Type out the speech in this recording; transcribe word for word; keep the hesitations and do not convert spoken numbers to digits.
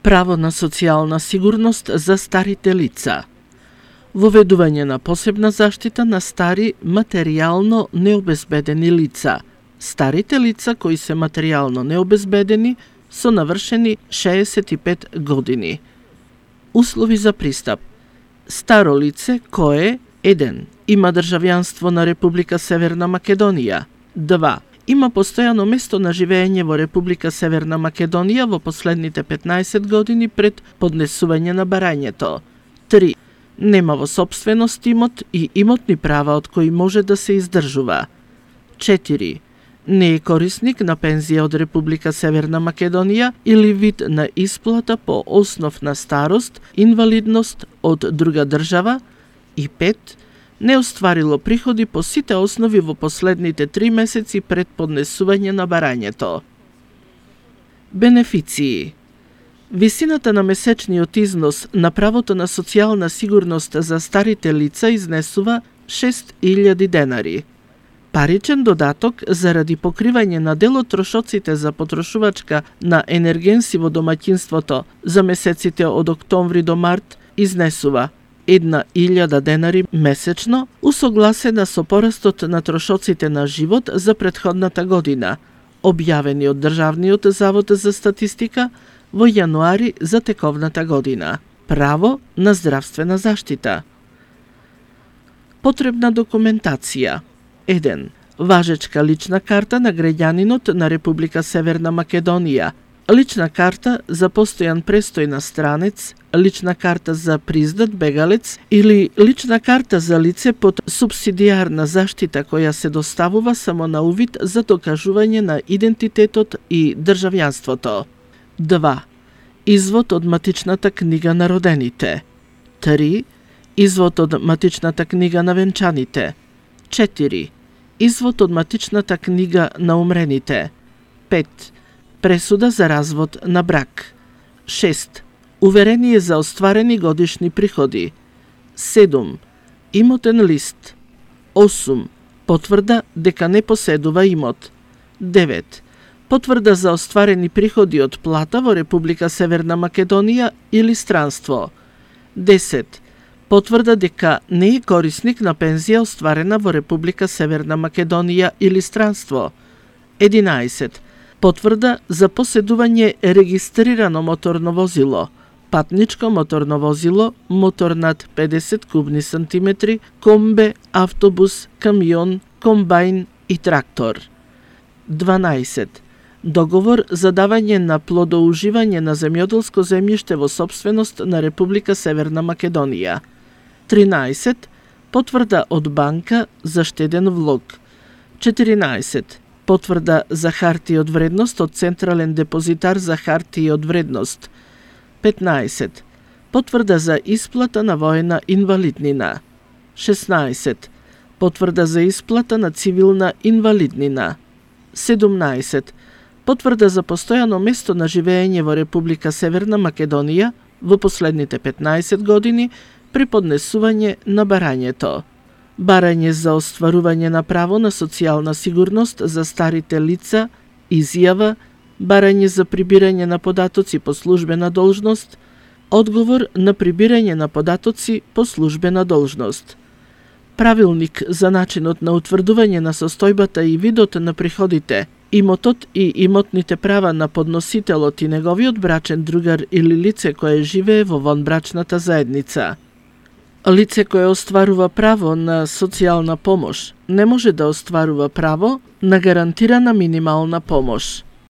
Право на социјална сигурност за старите лица. Воведување на посебна заштита на стари материјално необезбедени лица. Старите лица кои се материјално необезбедени со навршени шеесет и пет години. Услови за пристап. Старо лице кое еден има државјанство на Република Северна Македонија. два Има постојано место на живење во Република Северна Македонија во последните петнаесет години пред поднесување на барањето. три Нема во сопственост имот и имотни права од кои може да се издржува. четири Не е корисник на пензија од Република Северна Македонија или вид на исплата по основ на старост, инвалидност од друга држава. И пет Не остварило приходи по сите основи во последните три месеци пред поднесување на барањето. Бенефиции. Висината на месечниот износ на правото на социјална сигурност за старите лица изнесува шест илјади денари. Паричен додаток заради покривање на дел од трошоците за потрошувачка на енергенси во домаќинството за месеците од октомври до март изнесува една илјада денари месечно, усогласена со порастот на трошоците на живот за претходната година, објавени од Државниот завод за статистика во јануари за тековната година. Право на здравствена заштита. Потребна документација. еден Важечка лична карта на граѓанинот на Република Северна Македонија, лична карта за постојан престој на странец, лична карта за признат бегалец или лична карта за лице под субсидијарна заштита која се доставува само на увид за докажување на идентитетот и државјанството. два Извод од матичната книга на родените. три Извод од матичната книга на венчаните. четири Извод од матичната книга на умрените. пет Пресуда за развод на брак. шест Уверение за остварени годишни приходи. седум Имотен лист. осум Потврда дека не поседува имот. девет Потврда за остварени приходи од плата во Република Северна Македонија или странство. десет Потврда дека не е корисник на пензија остварена во Република Северна Македонија или странство. единаесет Потврда за поседување регистрирано моторно возило, патничко моторно возило, мотор над педесет кубни сантиметри, комбе, автобус, камион, комбајн и трактор. дванаесет Договор за давање на плодоуживање на земјоделско земјиште во сопственост на Република Северна Македонија. тринаесет Потврда од банка за штеден влог. четиринаесет Потврда за хартија од вредност од Централен депозитар за хартија од вредност. петнаесет Потврда за исплата на воена инвалиднина. шеснаесет Потврда за исплата на цивилна инвалиднина. седумнаесет Потврда за постојано место на живење во Република Северна Македонија во последните петнаесет години при поднесување на барањето. Барање за остварување на право на социјална сигурност за старите лица, изјава, барање за прибирање на податоци по службена должност, одговор на прибирање на податоци по службена должност. Правилник за начинот на утврдување на состојбата и видот на приходите, имотот и имотните права на подносителот и неговиот брачен другар или лице кое живее во вонбрачната заедница. Лице кое остварува право на социјална помош не може да остварува право на гарантирана минимална помош.